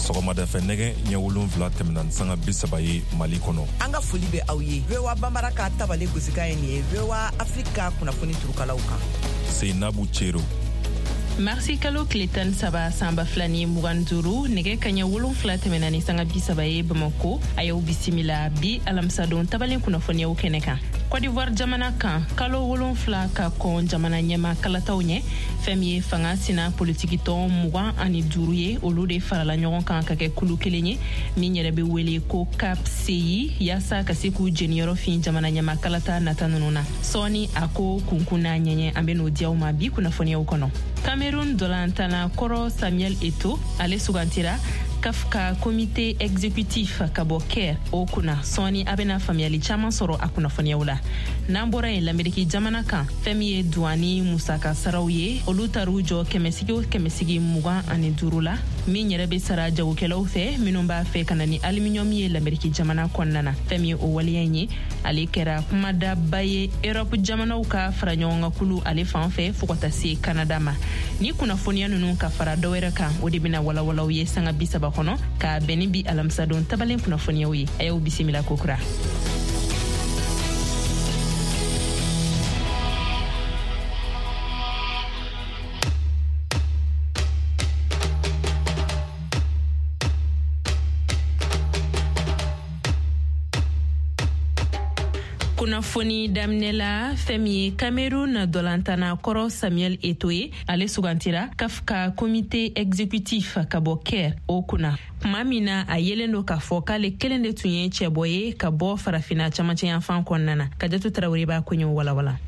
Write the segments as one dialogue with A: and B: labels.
A: Sɔgɔmadafɛ nɛgɛ ɲɛ 7 tɛmɛna ni sanga 30 ye Mali kɔnɔ.
B: An ka foli bɛ aw ye. VOA Bambara ka tabale gosikan ye nin ye VOA Afrique ka kunnafoni turukalaw kan.
A: Seinabu Cero.
C: Marisi kalo tile 13 san 2025, nɛgɛ kaɲɛ 7 tɛmɛna ni sanga 30 ye Bamako. A y'aw bisimila bi alamisadon tabalen kunnafoniyaw kɛnɛ kan. Cote d'Ivoire jamana kan, kalo 7 ka kɔn jamana ɲɛma kalataw ɲɛ, fɛn min ye fanga sina politikitɔn 25 ye, olu de farala ɲɔgɔn kan ka kɛ kulu kelen ye min yɛrɛ bɛ wele ko CAPCI, yaasa ka se k'u jeniyɔrɔ fin jamana ɲɛma kalata nata ninnu na. Sɔɔni a ko kunkun n'a ɲɛɲɛ, an bɛ n'o di aw ma bi kunnafoniyaw kɔnɔ. Cameroun dolantanna kɔrɔ Samuel Eto'o, ale sugantira CAF ka comité exécutif ka bɔ Caire o kunna. Sɔɔni a bɛna faamuyali caman sɔrɔ a kunnafoniyaw la. N'an bɔra yen, Lameriki jamana kan, fɛn min ye duwani musaka saraw ye, olu taar'u jɔ kɛmɛsigi o kɛmɛsigi 25 la, min yɛrɛ bɛ sara jagokɛlaw fɛ minnu b'a fɛ ka na ni aluminium ye Lameriki jamana kɔnɔna na. Fɛn min ye o waleya in ye, ale kɛra kumadaba ye Europe jamanaw ka fara ɲɔgɔnkankulu ale fan fɛ fo ka taa se Canada ma. Ni kunnafoniya ninnu ka fara dɔwɛrɛ kan, o de bɛna walawalaw ye sanga 30 kɔnɔ ka bɛn ni bi alamisadon tabalen kunnafoniyaw ye. A y'aw bisimila kokura. Kunnafoni daminɛ la, fɛn min ye Cameroun dolantanna kɔrɔ Samuel Eto'o ye, ale sugantira CAF ka comité exécutif ka bɔ Caire o kunna, tuma min na a yelen don k'a fɔ k'ale kelen de tun ye cɛbɔ ye ka bɔ Farafina camancɛ yanfan kɔnɔna na. Kajatu Tarawele b'a koɲɛw walawala.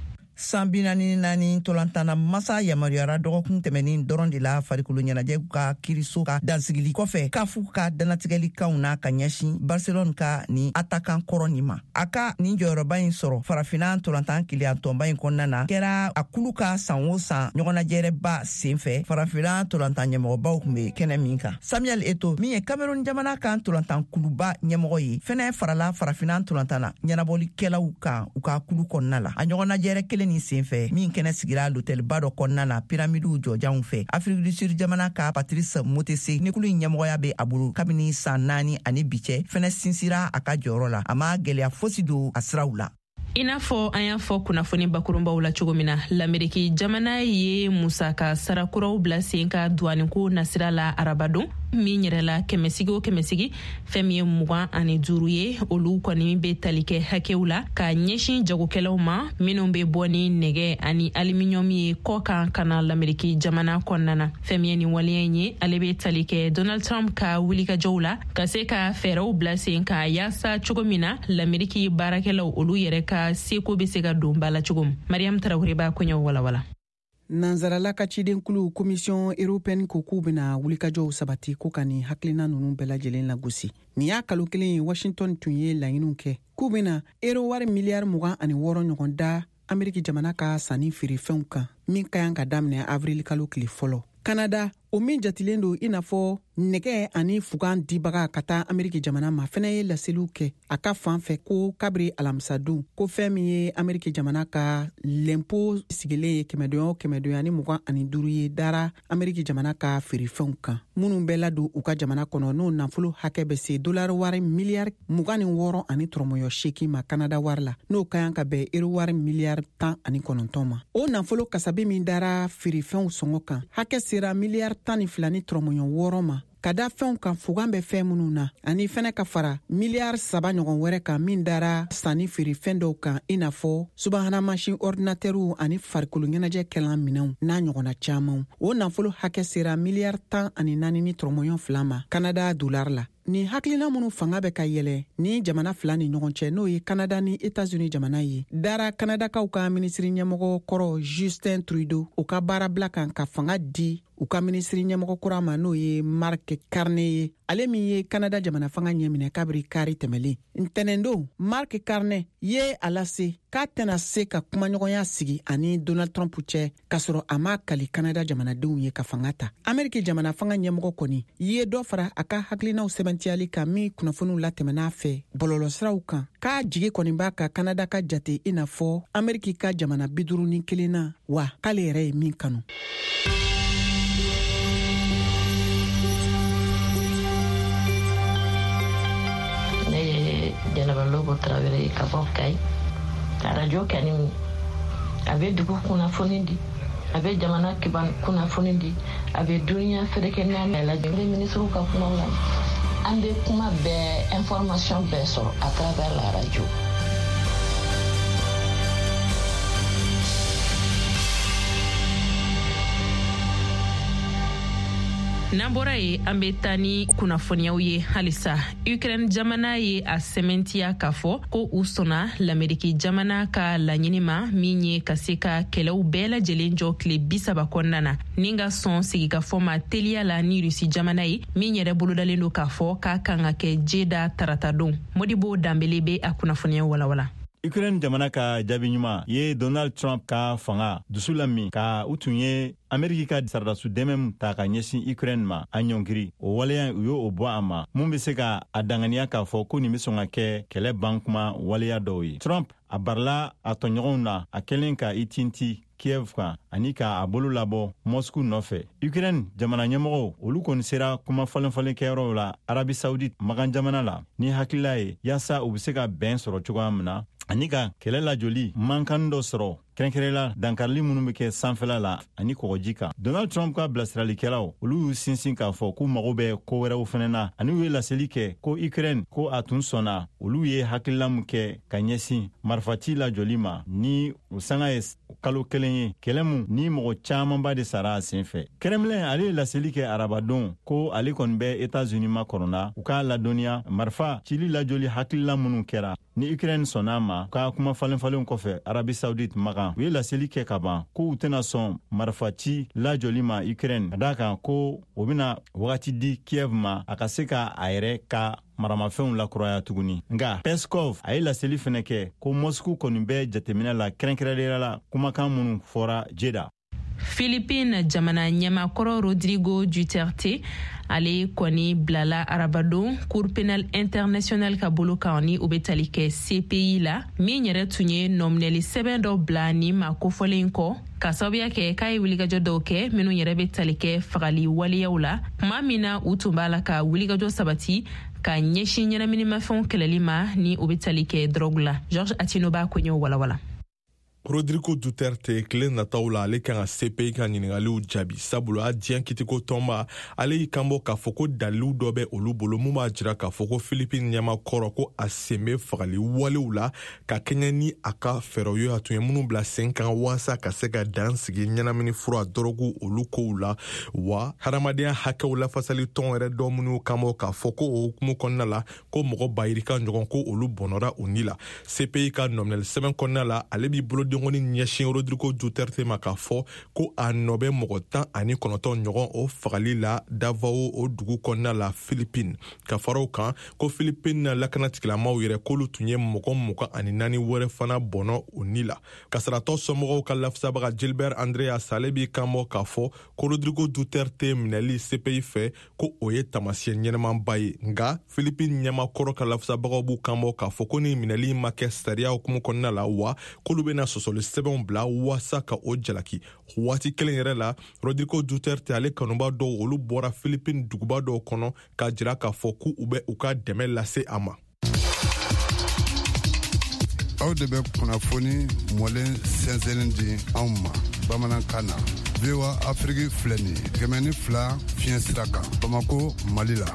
B: San 44 ntolatanna masa yamaruyara dɔgɔkun tɛmɛnin dɔrɔn de la farikolo ɲɛnajɛ ka kiriso ka dansigili kɔfɛ kafu ka dannatigɛlikanw na ka ɲɛsin Barcelone ka nin atakan kɔrɔ nin ma. A ka nin jɔyɔrɔba in sɔrɔ Farafinna ntolantan keleyatɔnba in kɔnɔna na kɛra a kulu ka san o san ɲɔgɔnnajɛrɛba sen fɛ, Farafinna ntolantan ɲɛmɔgɔbaw tun bɛ kɛnɛ min kan. Samuel Eto'o, min ye Cameroun jamana ka ntolantan kuluba ɲɛmɔgɔ ye, fɛnɛ farala Farafinna ntolantan na ɲɛnabɔlikɛlaw kan u ka kulu kɔnɔna la. A ɲɔgɔnnajɛrɛ kelen nin sen fɛ, min kɛnɛ sigira lotɛliba dɔ kɔnɔna na piramidiw jɔjanw fɛ, Afrique du Sud jamana ka Patrice Motsepe ni kulu in ɲɛmɔgɔya bɛ a bolo kabini san 4 ani bi cɛ, fɛnɛ sinsira a ka jɔyɔrɔ la. A ma gwɛlɛya fosi don a siraw la.
C: I n'a fɔ an y'a fɔ kunnafoni bakurunbaw la cogo min na, Lameriki jamana ye musaka sara kuraw bila sen ka duwaniko nasira la arabadon min yɛrɛ la, kɛmɛsigi o kɛmɛsigi, fɛn min ye 25 ye, olu kɔni bɛ tali kɛ hakɛw la ka ɲɛsin jagokɛlaw ma minnu bɛ bɔ ni nɛgɛ ani aluminium ye kɔkan ka na Lameriki jamana kɔnɔna na. Fɛn min ye nin waleya in ye, ale bɛ tali kɛ Donald Trump ka wulikajɔw la ka se ka fɛɛrɛw bila sen kan yaasa cogo min na Lameriki baarakɛlaw olu yɛrɛ ka seko bɛ se ka don ba la cogo min. Mariam Tarawele b'a koɲɛw walawala.
D: Nansarala ka cidenkulu Commission européenne ko k'u bɛna wulikajɔw sabati ko ka nin hakilina ninnu bɛɛ lajɛlen lagosi. Nin y'a kalo kelen ye Washington tun ye laɲiniw kɛ k'u bɛna euro wari miliyari 26 ɲɔgɔn da Ameriki jamana ka sanni feerefɛnw kan, min ka kan ka daminɛ avril kalo tile fɔlɔ. Kanada, o min jatilen don i n'a fɔ nɛgɛ ani fugan dibaga ka taa Ameriki jamana ma, fɛnɛ ye laseliw kɛ a ka fan fɛ ko kabiri alamisadon ko fɛn min ye Ameriki jamana ka lɛnpo sigilen ye kɛmɛdonya o kɛmɛdonya ni 25 ye dara Ameriki jamana ka feerefɛnw kan minnu bɛ ladon u ka jamana kɔnɔ, n'o nafolo hakɛ bɛ se dolari wari miliyari 26 ani tɔrɔmɔyɔ 8 ma Kanada wari la, n'o ka kan ka bɛn euro wari miliyari 19 ma. O nafolo kasabi min dara feerefɛnw sɔngɔ kan hakɛ sera miliyari 12 ni tɔrɔmɔyɔ 6 ma ka da fɛnw kan fugan bɛ fɛn minnu na, ani fɛnɛ ka fara miliyari 3 ɲɔgɔn wɛrɛ kan min dara sanni feerefɛn dɔw kan, i n'a fɔ subahana mansin ɔridinatɛriw ani farikolo ɲɛnajɛ kɛlan minɛnw n'a ɲɔgɔnna camanw. O nafolo hakɛ sera miliyari 14 ni tɔrɔmɔyɔn 2 ma Kanada dolari la. Nin hakilina minnu fanga bɛ ka yɛlɛ ni jamana fila ni ɲɔgɔn cɛ, n'o ye Kanada ni Etats-Unis jamana ye, dara Kanadakaw ka minisiri ɲɛmɔgɔ kɔrɔ Justin Trudeau o ka baarabila kan ka fanga di u ka minisiri ɲɛmɔgɔ kura ma, n'o ye Mark Carney ye, ale min ye Kanada jamana fanga ɲɛminɛ kabiri kari tɛmɛlen. Ntɛnɛndon, Mark Carney ye a lase k'a tɛna se ka kumaɲɔgɔnya sigi ani Donald Trump cɛ k'a sɔrɔ a m'a kali Kanada jamanadenw ye ka fanga ta. Ameriki jamana fanga ɲɛmɔgɔ kɔni ye dɔ fara a ka hakilinaw sɛbɛntiyali kan min kunnafoniw latɛmɛn'a fɛ bɔlɔlɔsiraw kan, k'a jigi kɔni b'a ka Kanada ka jate i n'a fɔ Ameriki ka jamana 51 na, wa k'ale yɛrɛ ye min kanu.
E: Jɛnɛba Lobo Tarawele ye ka bɔ Kayi. Arajo kani a bɛ dugu kunnafoni di, a bɛ jamana kunnafoni di, a bɛ duniya ferekɛ naani lajɛ. N bɛ minisiriw ka kumaw lamɛn. An bɛ kuma bɛɛ, information bɛɛ sɔrɔ à travers la radio.
C: N'an bɔra yen, an bɛ taa ni kunnafoniyaw ye halisa. Ukraine jamana ye a sɛmɛntiya k'a fɔ ko u sɔnna Lameriki jamana ka laɲini ma, min ye ka se ka kɛlɛw bɛɛ lajɛlen jɔ tile 30 kɔnɔna na, ni ka sɔn sigikafɔ ma teliya la ni Rusi jamana ye, min yɛrɛ bolodalen don k'a fɔ k'a kan ka kɛ Jeda taratadon. Modibo Danbele bɛ a kunnafoniya walawala.
F: Ukraine jamana ka jaabi ɲuman ye Donald Trump ka fanga dusu lamin ka u tun ye Ameriki ka saradasu dɛmɛ ta ka ɲɛsin Ukraine ma a ɲɔngiri. O waleya, u y'o bɔ a ma mun bɛ se ka a danganiya k'a fɔ ko nin bɛ sɔn ka kɛ kɛlɛ ban kuma waleya dɔw ye. Trump a barila a tɔɲɔgɔnw na a kɛlen ka i tinti Kiev kan ani k'a bolo labɔ Moscou nɔfɛ. Ukraine jamana ɲɛmɔgɔw, olu kɔni sera kuma falen-falen kɛyɔrɔw la Arabi Saoudite magan jamana la ni hakilila ye yaasa u be se ka bɛn sɔrɔ cogoya min na ani ka kɛlɛ lajɔli mankan dɔ sɔrɔ, kɛrɛnkɛrɛnla dankarili minnu bɛ kɛ sanfɛla la ani kɔgɔji kan. Donald Trump ka bilasiralikɛlaw, olu y'u sinsin k'a fɔ k'u mago bɛ ko wɛrɛw fɛnɛ na, ani u ye laseli kɛ ko Ukraine ko a tun sɔnna olu ye hakilila min kɛ ka ɲɛsin marifaci lajɔli ma ni o sanga ye kalo 1 ye, kɛlɛ mun ni mɔgɔ caamanba de sara a sen fɛ. Kremlin, ale ye laseli kɛ arabadon ko ale kɔni bɛ Etats-Unis makɔrɔna u k'a ladɔnniya marifa cili lajɔli hakilila minnu kɛra ni Ukraine sɔnna ma ka kuma falen-falenw kɔfɛ Arabi Saoudite magan. U ye laseli kɛ ka ban ko u tɛna sɔn marifa ci lajɔli ma Ukraine, ka da kan ko o bɛna wagati di Kiev ma a ka se ka a yɛrɛ ka maramafɛnw lakuraya tuguni. Nga Peskov, a ye laseli fɛnɛ kɛ ko Moscou kɔni bɛ jateminɛ la, kɛrɛnkɛrɛnnenya la kumakan minnu fɔra Jeda.
C: Philippine jamana ɲɛmakɔrɔ Rodrigo Duterte, ale kɔni bilala arabadon Cour pénale internationale ka bolo kan, ni o bɛ tali kɛ CPI la, min yɛrɛ tun ye nɔminɛli sɛbɛn dɔ bila nin ma kofɔlen kɔ, ka sababuya kɛ k'a ye wulikajɔ dɔw kɛ minnu yɛrɛ bɛ tali kɛ fagali waleyaw la, tuma min na u tun b'a la ka wulikajɔ sabati ka ɲɛsin ɲɛnaminimafɛnw kɛlɛli ma, ni o bɛ tali kɛ dɔrɔgu la. Georges Atino b'a koɲɛw walawala.
G: Rodrigo Duterte, tile nataw la ale kan ka CPI ka ɲiningaliw jaabi, sabula a diɲɛ kitiko tɔnba ale y'i kanbɔ k'a fɔ ko dalilu dɔ bɛ olu bolo mun b'a jira k'a fɔ ko Philippine ɲɛma kɔrɔ ko a sen bɛ fagali walew la ka kɛɲɛ ni a ka fɛɛrɛw ye a tun ye minnu bila sen kan waasa ka se ka dan sigi ɲɛnamini fura dɔrɔgu olu kow la. Wa hadamadenya hakɛw lafasali tɔn yɛrɛ dɔ minnu kanbɔ k'a fɔ ko o hukumu kɔnɔna la ko mɔgɔ bayirika ɲɔgɔn ko olu bɔnɔra u ni la. CPI ka nɔminɛli sɛbɛn kɔnɔna la, ale b'i bolodenkɔni ɲɛsin Rodrigo Duterte ma k'a fɔ ko a nɔ bɛ mɔgɔ 19 ɲɔgɔn o fagali la Davao o dugu kɔnɔna la Philippine. Ka fara o kan, ko Philippine lakanatigilamaw yɛrɛ k'olu tun ye mɔgɔ 24 wɛrɛ fana bɔnɔ o ni la. Kasaratɔ somɔgɔw ka lafasabaga Gilbert Andreas, ale b'i kanbɔ k'a fɔ ko Rodrigo Duterte minɛli CPI fɛ, ko o ye taamasiyɛn ɲɛnɛmanba ye. Nka Philippine ɲɛmakɔrɔ ka lafasabagaw b'u kanbɔ k'a fɔ ko ni minɛli ma kɛ sariya hukumu kɔnɔna la, wa k'olu bɛna sɔsɔli sɛbɛnw bila waasa ka o jalaki. Waati kelen yɛrɛ la, Rodrigo Duterte ale kanuba dɔw, olu bɔra Philippine duguba dɔw kɔnɔ k'a jira k'a fɔ k'u bɛ u ka dɛmɛ lase a ma.
H: Aw de bɛ kunnafoni mɔlen sɛnsɛnni di anw ma bamanankan na. VOA Afiriki filɛ nin ye 102 fiɲɛ sira kan, Bamako, Mali la.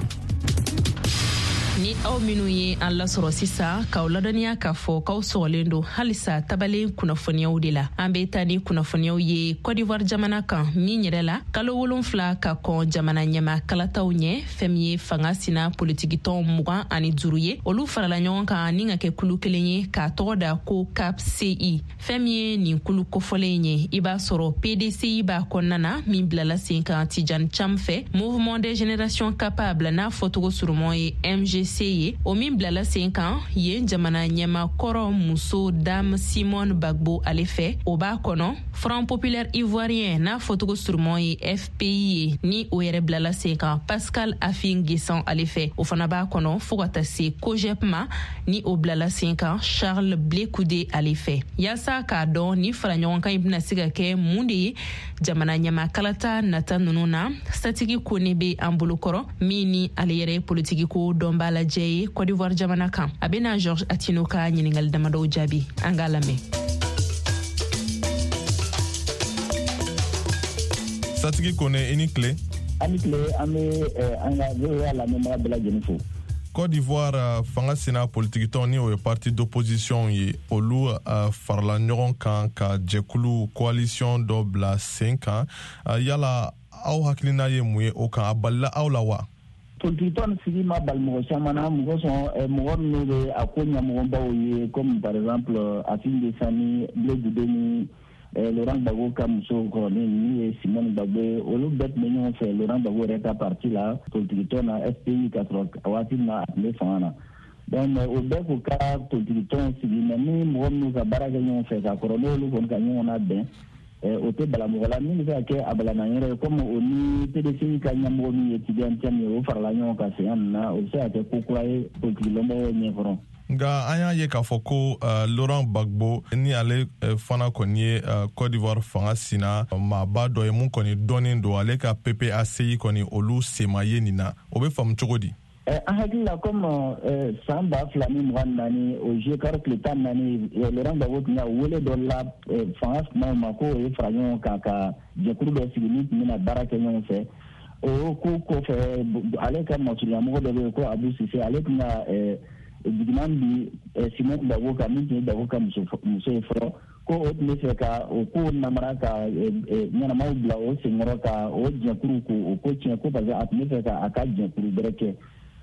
C: Ni aw minnu ye an lasɔrɔ sisan, k'aw ladɔnniya k'a fɔ k'aw sɔgɔlen don halisa tabalen kunnafoniyaw de la. An be taa ni kunnafoniyaw ye Cote d'Ivoire jamana kan, min yɛrɛ la kalo 7 ka kɔn jamana ɲɛma kalataw ɲɛ, fɛn min ye fanga sina politikitɔn 25 ye, olu farala ɲɔgɔn kan ni ka kɛ kulu kelen ye k'a tɔgɔ da ko CAPCI. Fɛn min ye nin kulu kofɔlen ye, i b'a sɔrɔ PDCI b'a kɔnɔna na, min bilala sen kan Tidjane Thiam fɛ, Mouvement des Générations Capables, n'a fɔcogo surumɔ ye MGC ye, o min bilala sen kan yen jamana ɲɛma kɔrɔ muso Dame Simone Gbagbo ale fɛ, o b'a kɔnɔ, Front Populaire Ivoirien, n'a fɔcogo surumɔ ye FPI ye, ni o yɛrɛ bilala sen kan Pascal Affi N'Guessan ale fɛ, o fana b'a kɔnɔ, fo ka taa se COJEP ma, ni o bilala sen kan Charles Blé Goudé ale fɛ. Yaasa k'a dɔn ni fara ɲɔgɔn kan in bɛna se ka kɛ mun de ye jamana ɲɛma kalata nata ninnu na, Satigi Kone bɛ an bolo kɔrɔ, min ni ale yɛrɛ ye politiki ko dɔnbaa. lajɛ ye Cote d'Ivoire jamana kan. A bɛna Georges Attino ka ɲininkali damadɔw jaabi. An k'a lamɛn.
G: Satigi Kone, i ni tile.
I: An ni tile, an bɛ an ka VOA lamɛnbaga bɛɛ lajɛlen fo.
G: Côte d'Ivoire fanga sina politikitɔn, ni o ye parti d'opposition ye, olu farala ɲɔgɔn kan ka jɛkulu coalition dɔ bila sen kan. Yala aw hakilina ye mun ye o kan? A balila aw la wa?
I: Politikitɔn sigi ma bali mɔgɔ caman na. Mɔgɔ sɔn, mɔgɔ minnu bɛ a ko ɲɛmɔgɔbaw ye, comme par exemple Affi N'Guessan ni Blé Goudé ni Laurent Gbagbo ka muso kɔrɔnin min ye Simone Gbagbo ye, olu bɛɛ tun bɛ ɲɔgɔn fɛ Laurent Gbagbo yɛrɛ ka parti la, politikitɔn na FPI, ka sɔrɔ waati min na a tun bɛ fanga na. Donc mais o bɛɛ k'u ka politikitɔn sigi, mais ni mɔgɔ minnu ka baara kɛ ɲɔgɔn fɛ ka kɔrɔ, n'olu kɔni ka ɲɔgɔn labɛn, o tɛ bala mɔgɔ la. Min bɛ se ka kɛ a balana yɔrɔ ye, komi o ni PDCI ka ɲɛmɔgɔ min ye Tidiane Thiam ye, o farala ɲɔgɔn kan sen nin na, o bɛ se ka kɛ ko kura ye politiki lɔnbagaw ɲɛkɔrɔ.
G: Nka an y'a ye k'a fɔ ko Laurent Gbagbo, ni ale fana kɔni ye Côte d'Ivoire fanga sina maaba dɔ ye mun kɔni dɔnnen don, ale ka PPACI kɔni, olu sema ye nin na. O bɛ faamu cogo di?
I: An hakili la, comme san 2024, o juillet kalo tile 14, Laurent Gbagbo tun ka wele dɔ la fanga kumaw ma ko o ye fara ɲɔgɔn kan ka jɛkulu dɔ sigi min tun bɛna baara kɛ ɲɔgɔn fɛ. O ko kɔfɛ, ale ka masurunyamɔgɔ dɔ bɛ yen ko Abou Cissé, ale tun ka jigiman bi Simone Gbagbo kan, min tun ye Gbagbo ka muso ye fɔlɔ, ko o tun bɛ fɛ ka o ko namara ka ɲɛnamaw bila o senkɔrɔ ka o jɛkuru ko o ko tiɲɛ, ko parce que a tun bɛ fɛ ka a ka jɛkuru bɛrɛ kɛ.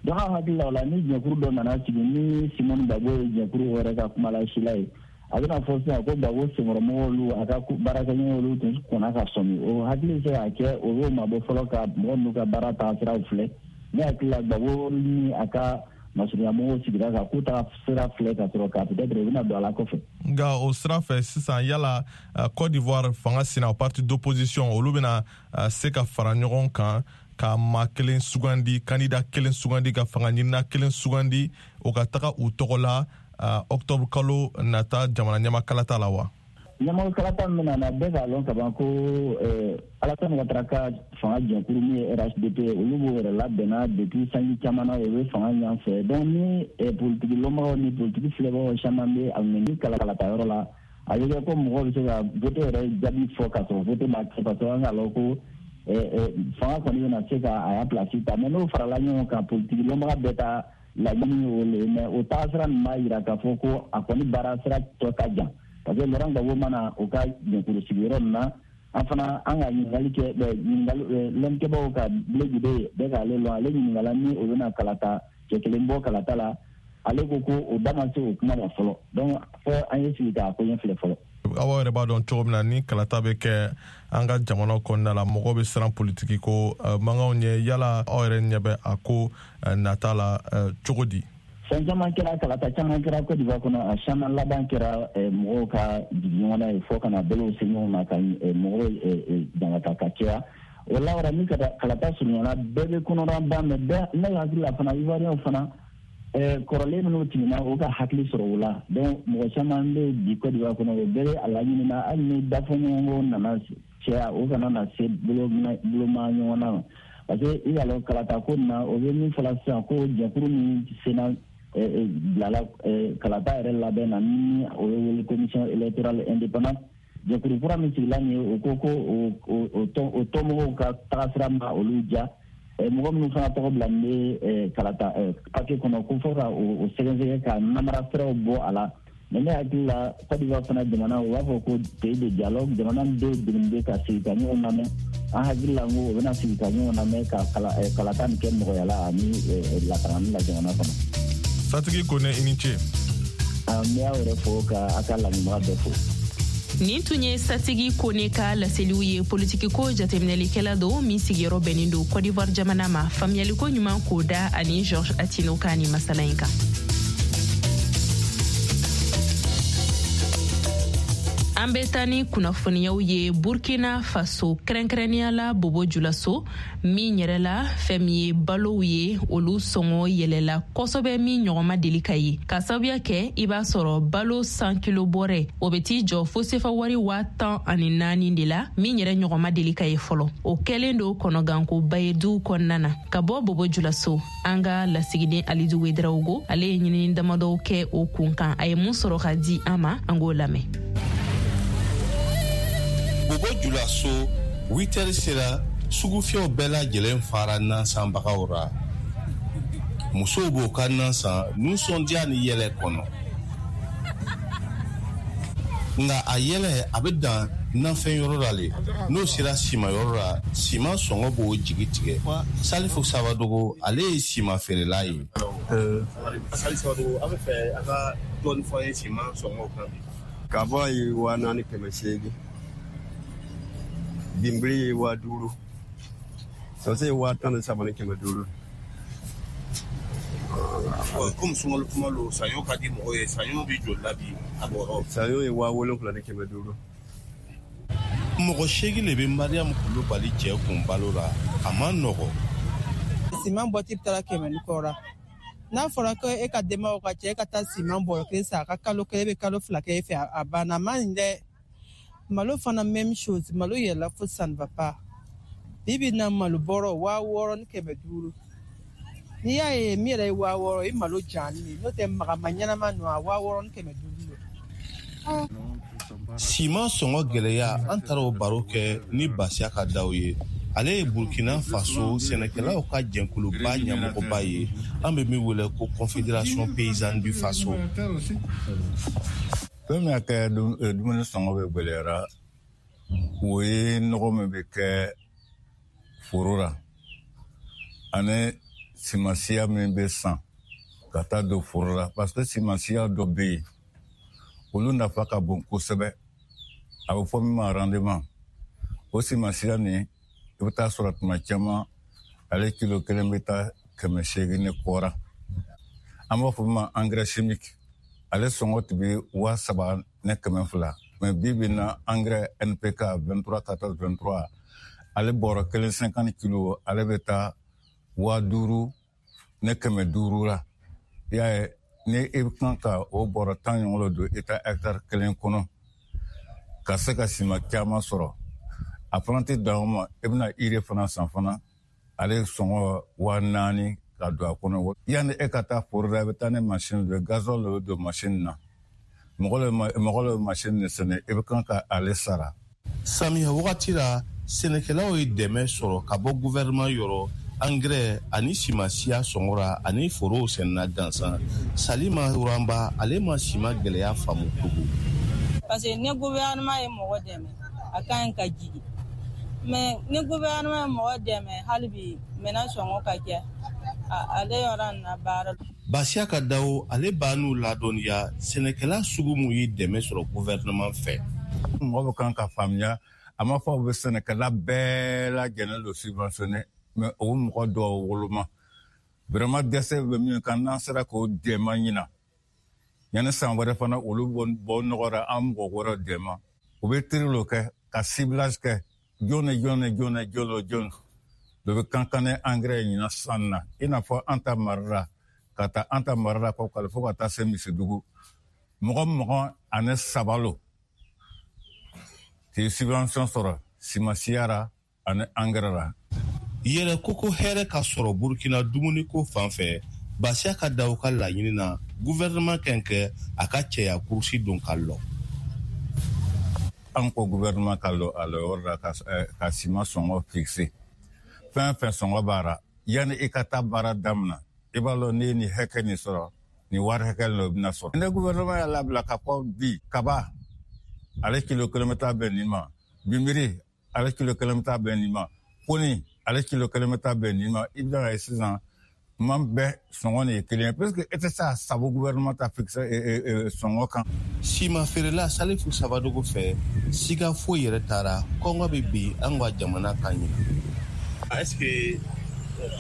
I: Donc an hakili la, o la, ni jɛkuru dɔ nana sigi, ni Simone Gbagbo ye jɛkuru yɛrɛ ka kumalasila ye, a bɛna fɔ sisan ko Gbagbo senkɔrɔmɔgɔw, a ka baarakɛɲɔgɔnw, olu tun kɔnna ka sɔmi. O hakili bɛ se ka kɛ o b'o mabɔ fɔlɔ ka mɔgɔ ninnu ka baara taasiraw filɛ. Ne hakili la, Gbagbo ni a ka masurunyamɔgɔw sigira ka k'u taga sira filɛ ka sɔrɔ ka peut-être u bɛna don a la kɔfɛ.
G: Nka o sira fɛ sisan, yala Côte d'Ivoire fanga sina parti d'opposition, olu bɛna se ka fara ɲɔgɔn kan ka maa kelen sugandi, candidat kelen sugandi, ka fanga ɲinina kelen sugandi, o ka taga u tɔgɔ la octobre kalo nata jamana ɲɛma kalata la wa?
I: Ɲɛmɔgɔ kalata min bɛna na, bɛɛ k'a lɔn kaban ko Alassane Ouattara ka fanga jɛkuru min ye RHDP, olu b'o yɛrɛ labɛnna depuis sanji caman na, o bɛ fanga ɲan fɛ. Donc ni politiki lɔnbagaw ni politiki filɛbagaw caman bɛ a ŋɛni kalata yɔrɔ la, a bɛ kɛ ko mɔgɔw bɛ se ka vote yɛrɛ jaabi fɔ k'a sɔrɔ vote ma kɛ, parce que an k'a lɔn ko fanga kɔni bɛna se ka a y'a place ta. Mais n'o farala ɲɔgɔn kan, politiki lɔnbaga bɛɛ ta laɲini ye o le ye. Mais o taasira nin b'a yira k'a fɔ ko a kɔni baara sira tɔ ka jan, parce que Laurent Gbagbo mana o ka jɛkulu sigiyɔrɔ nin na, an fana an ka ɲininkali kɛ, ɲininkali lɔnnikɛbaaw ka Blé Goudé bɛɛ k'ale lɔn, ale ɲininkala ni o bɛna kalata cɛ kelen bɔ kalata la, ale ko ko o da ma se o kuma ma fɔlɔ. Donc fɔ an ye sigi k'a ko ɲɛ filɛ fɔlɔ.
G: Aw yɛrɛ b'a dɔn cogo min na, ni kalata bɛ kɛ an ka jamana kɔnɔna la, mɔgɔw bɛ siran politiki ko mankanw ɲɛ. Yala aw yɛrɛ ɲɛ bɛ a ko nata la cogo di?
I: Fɛn caman kɛra, kalata caman kɛra Côte d'Ivoire kɔnɔ, a caman laban kɛra mɔgɔw ka jigin ɲɔgɔn ye fɔ ka na bolow se ɲɔgɔn ma ka mɔgɔw jangata ka caya. O la wɛrɛ, ni kalata surunyana, bɛɛ bɛ kɔnɔna ban. Mais bɛɛ, ne hakili la fana, Ivoiriyɛnw fana, kɔrɔlen minnu tɛmɛna, o ka hakili sɔrɔ o la. Donc mɔgɔ caman bɛ bi Côte d'Ivoire kɔnɔ, o bɛɛ bɛ a laɲini na, hali ni dafɔɲɔgɔnkɔ nana caya, o kana na se boloma ɲɔgɔn na ma, parce que i y'a lɔn kalata ko nin na, o bɛ min fɔla sisan ko jɛkulu min senna bilala kalata yɛrɛ labɛn na, ni o bɛ wele commission électorale indépendante, jɛkulu kura min sigila nin ye, o ko ko o tɔnmɔgɔw ka tagasira ma olu diya. Mɔgɔ minnu fana tɔgɔ bila nin bɛ kalata papier kɔnɔ, ko fɔ ka o sɛgɛsɛgɛ ka namara siraw bɔ a la. Mais ne hakili la, Côte d'Ivoire fana jamana, u b'a fɔ ko pays de dialogue, jamana min bɛ degeli bɛ ka sigi ka ɲɔgɔn lamɛn. An hakili la ko o bɛna sigi ka ɲɔgɔn lamɛn ka kalata nin kɛ nɔgɔya la ani lakanani la jamana kɔnɔ.
G: Satigi Kone, i ni ce.
I: N bɛ aw yɛrɛ fo ka aw ka lamɛnbaga bɛɛ fo.
C: Nin tun ye Satigi Kone ka laseliw ye. Politikiko jateminɛlikɛla don min sigiyɔrɔ bɛnnen don Côte d'Ivoire jamana ma. Faamuyaliko ɲuman k'o da ani Georges Attino ka nin masala in kan. An bɛ taa ni kunnafoniyaw ye Burkina Faso, kɛrɛnkɛrɛnnenya la Bobo Julaso, min yɛrɛ la fɛn min ye balow ye, olu sɔngɔ yɛlɛla kosɛbɛ min ɲɔgɔn ma deli ka ye, ka sababuya kɛ i b'a sɔrɔ balo 100 kilo bɔrɛ, o bɛ t'i jɔ fo sefa wari 14,000 de la, min yɛrɛ ɲɔgɔn ma deli ka ye fɔlɔ. O kɛlen don kɔnɔgankoba ye duw kɔnɔna na. Ka bɔ Bobo Julaso, an ka lasigiden Alidu Wedraogo, ale ye ɲinini damadɔw kɛ o kun kan. A ye mun sɔrɔ ka di an ma, an k'o lamɛn.
J: Bobo Julaso, 8 sera, sugufiyɛw bɛɛ lajɛlen fara nansanbagaw ra. Musow b'o ka nan san nisɔndiya ni yɛlɛ kɔnɔ. Nka a yɛlɛ a bɛ dan nafɛn yɔrɔ la le. N'o sera siman yɔrɔ la, siman sɔngɔ b'o jigi tigɛ. Salifu Sabadogo, ale ye siman feerela ye. Salifu Sabadogo, an bɛ fɛ a ka dɔɔni fɔ an ye siman sɔngɔ kan bi.
K: Kaba ye 4800. Binbiri ye 5000. Sɔsɛ ye 13500.
J: Komi sunkalo kuma lo, saɲɔ ka di mɔgɔ ye, saɲɔ bɛ joli la bi a bɔrɔ?
K: Saɲɔ ye 7500.
J: Mɔgɔ 8 le bɛ Mariam Kulubali cɛ kun balo la, a ma nɔgɔ.
L: Siman bɔti bɛ taara 100 ni kɔ la. N'a fɔra ko e ka denbaw ka cɛ, e ka taa siman bɔrɔ kelen san, a ka kalo kelen, e bɛ kalo 2 kɛ e fɛ, a banna. A ma ɲi dɛ. Malo fana même chose, malo yɛlɛla fo ça ne va pas. Bi bi na malo bɔrɔ 6500. N'i y'a ye min yɛrɛ ye 6000, i malo jalen ye, n'o tɛ magama ɲɛnama ninnu, a 6500 don.
J: Siman sɔngɔ gɛlɛya, an taara o baro kɛ ni Basiya ka daw ye. Ale ye Burkina Faso sɛnɛkɛlaw ka jɛkuluba ɲɛmɔgɔba ye, an bɛ min wele ko Confédération paysanne du Faso.
H: Fɛn min y'a kɛ dumuni sɔngɔ bɛ gwɛlɛyara, o ye nɔgɔ min bɛ kɛ foro la ani simansiya min bɛ san ka taa don foro la, parce que simansiya dɔ bɛ yen, olu nafa ka bon kosɛbɛ, a bɛ fɔ min ma rendement. O simansiya nin, i bɛ taa sɔrɔ tuma caman ale kilo kelen bɛ taa 800 ni kɔra. An b'a fɔ min ma engrais chimique, ale sɔngɔ tun bɛ 3200, mais bi bi in na engrais NPK 23 14 23, ale bɔrɔ kelen 50 kilo, ale bɛ taa 5500 la. I y'a ye, ni i bɛ kan ka o bɔrɔ 10 ɲɔgɔn don i ta hectare kelen kɔnɔ ka se ka siman caman sɔrɔ, a fana tɛ dan o ma, i bɛna urée fana san fana, ale sɔngɔ 4000 ka don a kɔnɔ. Yanni e ka taa foro la, i bɛ taa ni machine dɔ ye, gasoil de bɛ don machine na, mɔgɔ bɛ machine de sɛnɛ, i bɛ kan ka ale sara.
J: Samiya wagati la, sɛnɛkɛlaw ye dɛmɛ sɔrɔ ka bɔ gouvernement yɔrɔ, angɛrɛ ani simansiya sɔngɔ ra ani forow sɛnɛna gansan. Salima Wuranba, ale ma siman gɛlɛya faamu tugun.
M: Parce que ni gouvernement ye mɔgɔ dɛmɛ, a ka ɲi ka jigin, mais ni gouvernement ye mɔgɔ dɛmɛ hali bi, minɛn sɔngɔ ka kɛ ale yɔrɔ na baara.
J: Basiya ka dawo, ale b'a n'u ladɔnniya sɛnɛkɛla sugu mun ye dɛmɛ sɔrɔ gouvernement fɛ.
H: Mɔgɔ bɛ kan ka faamuya, a ma fɔ u bɛ sɛnɛkɛla bɛɛ lajɛlen don subventionné, mais o mɔgɔ dɔw woloma vraiment dɛsɛ bɛ min kan, n'an sera k'o dɛmɛ ɲina, yanni san wɛrɛ fana olu bɔ nɔgɔ la, an mɔgɔ wɛrɛ dɛmɛ. U bɛ tri lo kɛ ka ciblage kɛ, jɔn ni jɔn ni jɔn ni jɔn ni jɔn dɔ bɛ kan kan ni engrais ɲina san na, i n'a fɔ an ta mara la, ka taa an ta mara la kɔ fo ka taa se Misidugu, mɔgɔ 23 lo k'i subvention sɔrɔ simansiya la ani engrais la.
J: Yɛrɛ ko ko hɛrɛ ka sɔrɔ Burkina dumuniko fan fɛ, Basiya ka daw ka laɲini na, gouvernement kɛn kɛ a ka cɛya kurusi don ka lɔ.
H: An ko gouvernement ka lɔ a lɔyɔrɔ la ka siman sɔngɔ fixe. Fɛn fɛn sɔngɔ b'a la, yanni i ka taa baara daminɛ, i b'a lɔn n'i ye nin hakɛ nin sɔrɔ, nin wari hakɛ nin o bɛna sɔrɔ. Ni gouvernement y'a labila ka fɔ bi kaba ale kilo kelen bɛ taa bɛn nin ma, binbiri ale kilo kelen bɛ taa bɛn nin ma, koni ale kilo kelen bɛ taa bɛn nin ma, i bɛna ye sisan tuma bɛɛ sɔngɔ nin ye kelen ye, parce que e tɛ se ka sago gouvernement ta fixe sɔngɔ kan.
J: Siman feerela Salifu Sabadogo fɛ, siga foyi yɛrɛ taara kɔngɔ bɛ bin an ka jamana kan ɲina. Est ce que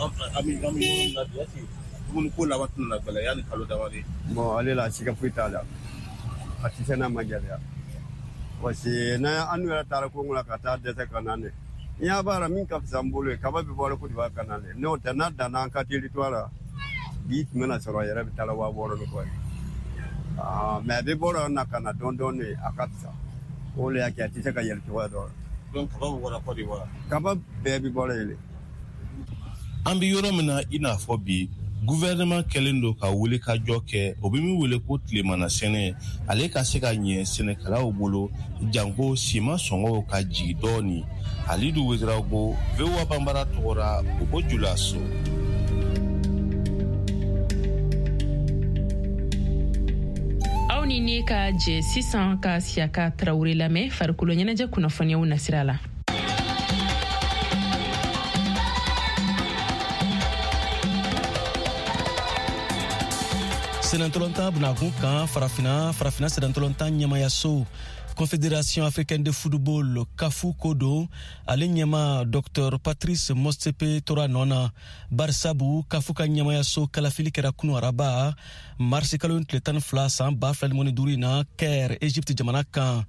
J: an bɛ yɔrɔ min na bi, est ce que dumuni ko laban tɛna gɛlɛya yanni kalo damadɔ?
K: Bon, ale la siga foyi t'a la, a tɛ se n'a ma gɛlɛya. Parce que n'an yɛrɛ taara Kongo la ka taa dɛsɛ ka na ne. N y'a b'a la min ka fisa n bolo ye, kaba bɛ bɔra Côte d'Ivoire ka na ne. N'o tɛ n'a danna an ka territoire la, bi tun bɛna sɔrɔ a yɛrɛ bɛ taa la 6000 ni kɔ ye. Mais a bɛ bɔra na ka na dɔɔni dɔɔni, a ka fisa. O de y'a kɛ a tɛ se ka yɛlɛ cogoya dɔ la.
J: Donc kaba bɛ bɔra Côte d'Ivoire.
K: Kaba bɛɛ bɛ bɔra yen.
J: An bɛ yɔrɔ min na i n'a fɔ bi, gouvernement kɛlen don ka wuli ka jɔ kɛ, o bɛ min wele ko tilemana sɛnɛ, ale ka se ka ɲɛ sɛnɛkɛlaw bolo, janko siman sɔngɔw ka jigin dɔɔni. Halidu Ouédraogo, VOA Banbara tɔgɔra Bobo Julaso.
C: Aw ni ne ka jɛ sisan ka Siyaka Tarawele lamɛn farikolo ɲɛnajɛ kunnafoniyaw nasira la.
N: Senatɔlɔntan bunakun kan farafina farafina senatɔlɔntan ɲɛmayaso Confédération africaine de football CAF ko don, ale ɲɛma Dr Patrice Motsepe tora nɔ na, barisabu CAF ka ɲɛmayaso kalafili kɛra kunu araba marisi kalo tile 12 san 2025 na Caire, Egypte jamana kan.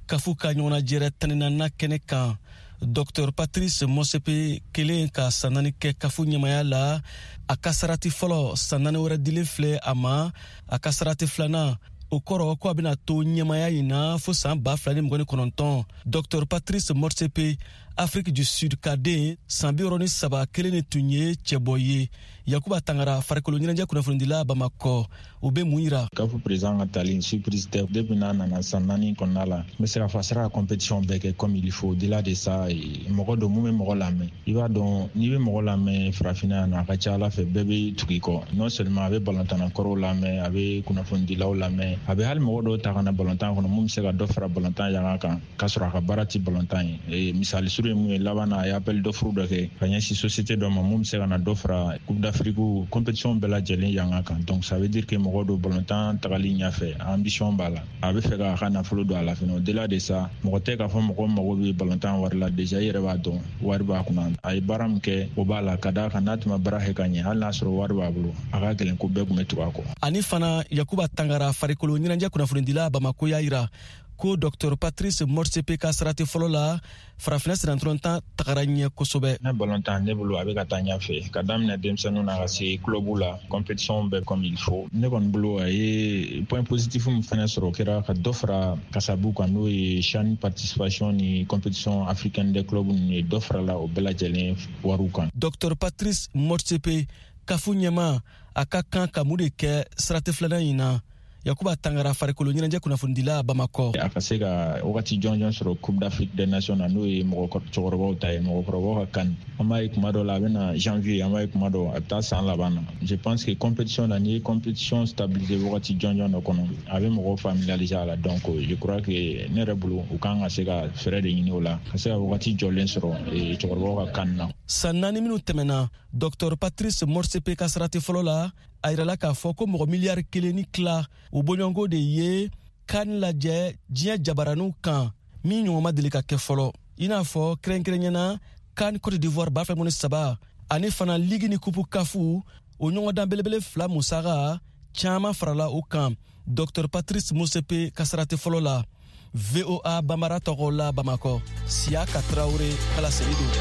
N: CAF ka ɲɔgɔnnajɛrɛ 14nan kɛnɛ kan, Dr Patrice Motsepe kelen ka san 4 kɛ CAF ɲɛmaya la. A ka sarati fɔlɔ san 4 wɛrɛ dilen filɛ a ma, a ka sarati filanan o kɔrɔ ko a bɛna to ɲɛmaya in na fo san 2029. Dr Patrice Motsepe, Afrique du Sud ka den, san 63 kelen de tun ye cɛbɔ ye. Yakuba Tangara, farikolo ɲɛnajɛ kunnafonidila Bamakɔ, o bɛ mun yira?
O: CAF président ka tali surprise tɛ. Depuis n'a nana san 4 kɔnɔna la, n bɛ se k'a fɔ a sera ka compétition bɛɛ kɛ comme il faut. Au-delà de ça, mɔgɔ don mun bɛ mɔgɔ lamɛn. I b'a dɔn n'i bɛ mɔgɔ lamɛn farafinna yan nɔ, a ka ca ala fɛ bɛɛ bɛ tugu i kɔ. Non seulement a bɛ balontanna kɔrɔw lamɛn, a bɛ kunnafonidilaw lamɛn, a bɛ hali mɔgɔ dɔw ta ka na balontan kɔnɔ mun bɛ se ka dɔ fara balontan yanga kan k'a sɔrɔ a ka baara tɛ balontan ye. Misali surun ye mun ye, laban na a ye appel d'offre dɔ kɛ ka ɲɛsin société dɔ ma mun bɛ se ka na dɔ fara Coupe d'Afrique compétition bɛɛ lajɛlen yanga kan. Donc ça veut dire que mɔgɔ don balontan tagali ɲɛfɛ, ambition b'a la, a bɛ fɛ k'a ka nafolo don a la fɛnɛ. Au-delà de ça, mɔgɔ tɛ k'a fɔ mɔgɔ mago bɛ balontan wari la, déjà i yɛrɛ b'a dɔn wari b'a kunna. A ye baara min kɛ o b'a la, ka d'a kan n'a tun ma baara kɛ ka ɲɛ, hali n'a sɔrɔ wari b'a bolo, a ka gɛlɛn ko bɛɛ tun bɛ tugu a kɔ.
N: Ani fana Yakuba Tangara, farikolo ɲɛnajɛ kunnafonidila Bamako, y'a yira ko Dr Patrice Motsepe ka sarati fɔlɔ la farafinna senatɔlɔntan tagara ɲɛ kosɛbɛ.
O: Ne balontan ne bolo a bɛ ka taa ɲɛfɛ, ka daminɛ denmisɛnninw na ka se club la, compétition bɛɛ comme il faut. Ne kɔni bolo a ye point positif min fɛnɛ sɔrɔ, o kɛra ka dɔ fara kasabu kan, n'o ye CHAN participation ni compétition africaine des clubs ninnu ye, dɔ farala o bɛɛ lajɛlen wariw kan.
N: Dr Patrice Motsepe, CAF ɲɛma, a ka kan ka mun de kɛ sarati filanan in na? Yakuba Tangara, farikolo ɲɛnajɛ kunnafonidila Bamakɔ.
O: A ka se ka wagati jɔnjɔn sɔrɔ Coupe d'Afrique des Nations na, n'o ye mɔgɔkɔrɔbaw ta ye, mɔgɔkɔrɔbaw ka kan. An b'a ye kuma dɔ la a bɛ na janvier, an b'a ye kuma dɔ a bɛ taa san laban na. Je pense que compétition na, n'i ye compétition stabiliser wagati jɔnjɔn dɔ kɔnɔ, a bɛ mɔgɔw familiariser a la. Donc je crois que ne yɛrɛ bolo u kan ka se ka fɛɛrɛ de ɲini o la, ka se ka wagati jɔlen sɔrɔ cɛkɔrɔbaw ka kan na.
N: San 4 minnu tɛmɛna, Dr Patrice Motsepe ka sarati fɔlɔ la, a yirala k'a fɔ ko mɔgɔ miliyari 1.5 o bɔɲɔgɔnko de ye kan lajɛ diɲɛ jabaraniw kan min ɲɔgɔn ma deli ka kɛ fɔlɔ, i n'a fɔ kɛrɛnkɛrɛnyana kan Cote d'Ivoire 2023 ani fana ligi ni kupu kafu o ɲɔgɔndan belebele 2 musaka caman farala o kan. Dr Patrice Motsepe ka sarati fɔlɔ la, VOA Bambara tɔgɔ la Bamakɔ, Siyaka Tarawele kalaseli don.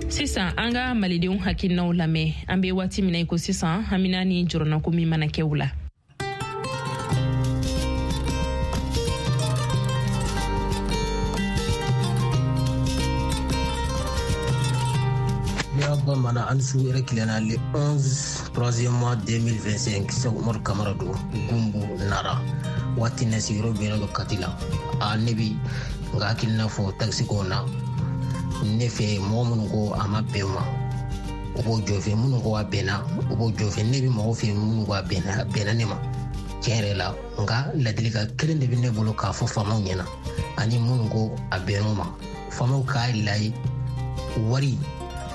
C: Sisan an ka malidenw hakilinaw lamɛn. An bɛ waati min na i ko sisan, hamina ni jɔrɔnako min mana kɛ u la.
P: Bamanan an su yɛrɛ tilenna le 11 3e mois 2025, Sɛku Umaru Kamara don, Gumbu Nara. Waati na sigiyɔrɔ bɛnnen don Kati la. A ne bi nka hakilina fɔ takisi ko na, ne fɛ mɔgɔ minnu ko a ma bɛn ma, o b'o jɔ fɛ, minnu ko a bɛnna o b'o jɔ fɛ. Ne bi mɔgɔ fɛ minnu ko a bɛnna, a bɛnna ne ma tiɲɛ yɛrɛ la. Nka ladilikan kelen de bɛ ne bolo k'a fɔ faamaw ɲɛna ani minnu ko a bɛnn'o ma, faamaw k'a layi wari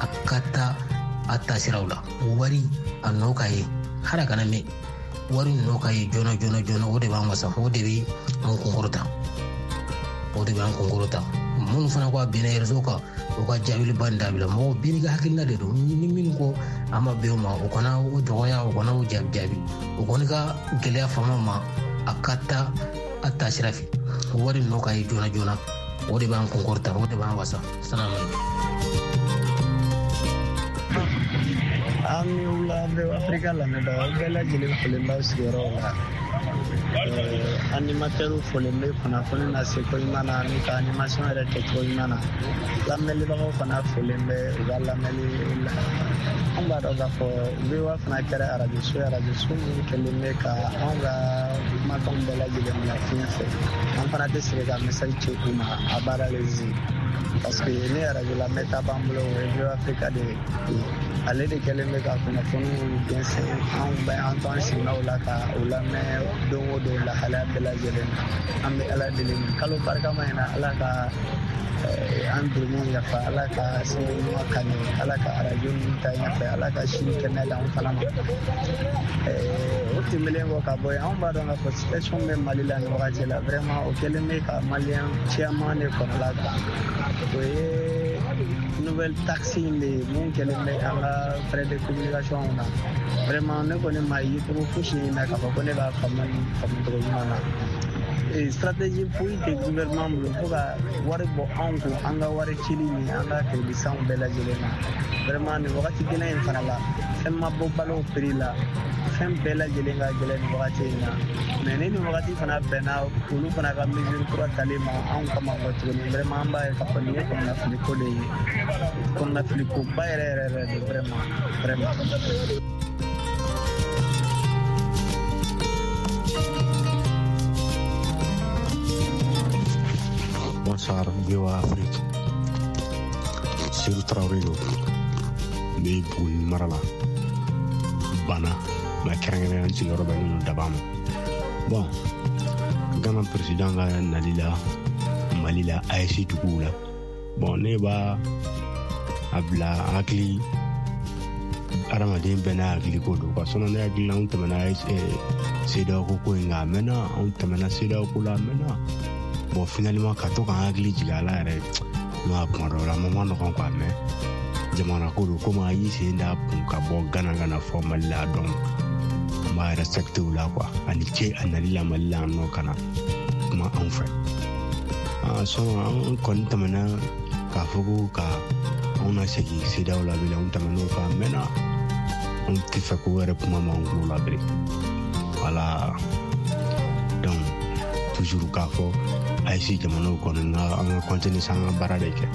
P: a ka taa a taasiraw la, wari a nɔ ka ye, hali a kana mɛn, wari nɔ ka ye joona joona joona. O de b'an wasa, o de bɛ an kunkɔrɔta, o de b'an kunkɔrɔta. Minnu fana ko a bɛnna réseau kan, o ka jaabiliba in dabila. Mɔgɔw bɛɛ n'i ka hakilina de don. Ni minnu ko a ma bɛn o ma, o kana o dɔgɔya, o kana o jaabi jaabi. O kɔni ka gɛlɛya faama ma, a ka taa a taasira fɛ. Wari nɔ ka ye joona joona, o de b'an kunkɔrɔta, o de b'an wasa. Salamu aleykum.
Q: An ni wula, bɛ Afirika lamɛnbagaw bɛɛ lajɛlen folen b'aw sigiyɔrɔw la. Animatɛriw folen bɛ kunnafoni lase ko ɲuman na ani ka animation yɛrɛ kɛcogo ɲuman na. Lamɛnlibagaw fana folen bɛ u ka lamɛnli la. An b'a dɔn k'a fɔ VOA fana kɛra arajoso ye, arajoso min kɛlen bɛ ka anw ka kumakanw bɛɛ lajɛlen bila fiɲɛ fɛ. An fana tɛ sɛgɛn ka message ci u ma a baara lezi, parce que ni arajo lamɛnta b'an bolo, o ye VOA Africa de ye. Ale de kɛlen bɛ ka kunnafoniw jɛnsɛn. Anw bɛ an to an sigilaw la ka u lamɛn don o don, lahalaya bɛɛ lajɛlen na. An bɛ Ala deli nin kalo barikama in na, Ala ka an jurumu yafa, Ala ka sini ɲuman ka ɲɛ, Ala ka arajo ninnu ta ɲɛfɛ, Ala ka sini kɛnɛya d'an fana ma. O tɛmɛnen kɔ ka bɔ yen, anw b'a dɔn k'a fɔ situation bɛ Mali la nin wagati la, vraiment o kɛlen bɛ ka maliyɛn caman de kɔnɔla gan. O ye nouvelle taxe in de ye mun kɛlen bɛ an ka frais de communication na. Vraiment ne kɔni ma ye cogo fosi in na k'a fɔ ko ne b'a faamu faamu cogo ɲuman na. Stratégie foyi tɛ gouvernement bolo fo ka wari bɔ anw kun, an ka wari cili ni an ka crédit sanw bɛɛ lajɛlen na. Vraiment nin wagati gɛlɛn in fana la, fɛn ma bɔ balo prix la, fɛn bɛɛ lajɛlen ka gɛlɛn nin wagati in na. Mais ni nin wagati fana bɛnna olu fana ka mesure kura tali ma anw kama kɔ tuguni, vraiment an b'a ye k'a fɔ nin ye kɔnɔnafili ko de ye, kɔnɔnafili koba yɛrɛ yɛrɛ yɛrɛ de, vraiment vraiment.
R: Bonsoir, VOA Afrique. Seydou Traoré don. N bɛ Buguni mara la, Bana, mais kɛrɛnkɛrɛnnenya n sigiyɔrɔ bɛnnen don Daba ma. Bon, Ghana président ka nali la Mali la, AES duguw la. Bon, ne b'a a bila hakili, adamaden bɛɛ n'a hakili ko don quoi. Sinon ne hakili la, anw tɛmɛna CEDEAO ko in kan a mɛnna, anw tɛmɛna CEDEAO ko la a mɛnna. Bon, finalement ka to k'an hakili jigin a la yɛrɛ, n'a kuma dɔw la a ma nɔgɔn quoi, mais jamana ko don. Komi a y'i sen da kun ka bɔ Ghana ka na fɔ Mali la, donc an b'a respecter o la quoi. A ni ce a nali la Mali la yan nɔ ka na kuma anw fɛ. Sinon an kɔni tɛmɛna k'a fɔ ko ka anw na segin CEDEAO la bilen, anw tɛmɛn'o kan a mɛnna. Anw tɛ fɛ k'o yɛrɛ kuma m'an tulo la bilen. Voilà, donc toujours k'a fɔ AES jamanaw kɔni ka an ka continuer sa, an ka baara de kɛ,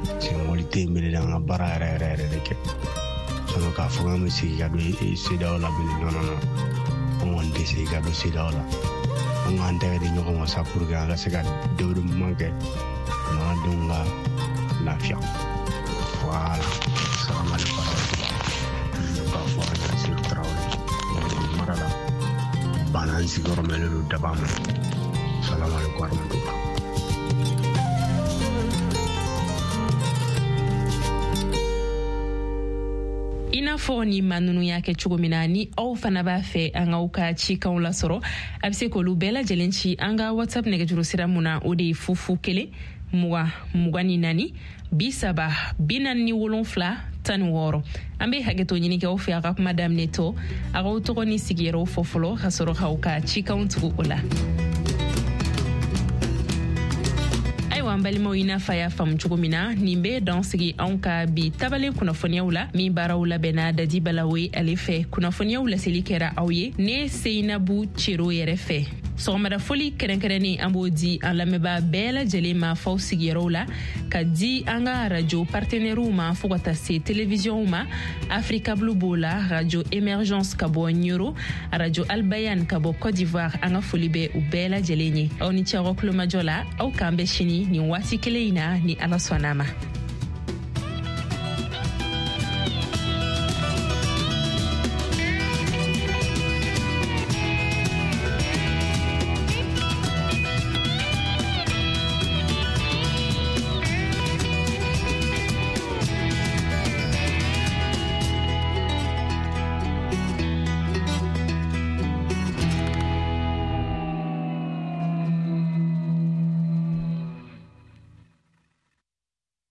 R: parce que mɔgɔ tɛ yen bilen, an ka baara yɛrɛ yɛrɛ yɛrɛ de kɛ. Sinon k'a fɔ k'an bɛ segin ka don CEDEAO la bilen, non non non, an kɔni tɛ segin ka don CEDEAO la. An k'an tɛgɛ di ɲɔgɔn ma sa pour que an ka se ka développement kɛ, jamanadenw ka lafiya. Voilà, salamu aleykum warahmatulah. K'a fɔ an ka Seydou Traoré mara la, Bana, n sigiyɔrɔ bɛnnen don Daba ma. Salamu aleykum warahmatulah.
C: I n'a fɔ ni maa ninnu y'a kɛ cogo min na, ni aw fana b'a fɛ an k'aw ka cikanw lasɔrɔ, a bɛ se k'olu bɛɛ lajɛlen ci an ka WhatsApp nɛgɛjuru sira mun na, o de ye 0 0 20 24 30 47 16. An bɛ hakɛto ɲini kɛ aw fɛ, a ka kuma daminɛ tɔ, a k'aw tɔgɔ ni sigiyɔrɔw fɔ fɔlɔ ka sɔrɔ k'aw ka cikanw tugu o la. Ayiwa an balimaw, i n'a fɔ a y'a faamu cogo min na, nin bɛ dan sigi anw ka bi tabalen kunnafoniyaw la min baaraw labɛnna Dadi Balawe ale fɛ. Kunnafoniyaw laseli kɛra aw ye ne Seyinabu Cero yɛrɛ fɛ. Sɔgɔmada foli kɛrɛnkɛrɛnnen, an b'o di an lamɛnbaa bɛɛ lajɛlen ma f'aw sigiyɔrɔw la, ka di an ka radio partenaires ma, fo ka taa se télévisionw ma. Africa Blue b'o la, Radio Émergence ka bɔ Ɲoro, Radio Albayan ka bɔ Côte d'Ivoire. An ka foli bɛ u bɛɛ lajɛlen ye. Aw ni ce aw ka kulomajɔ la. Aw k'an bɛn sini nin waati kelen in na, ni Ala sɔnna ma.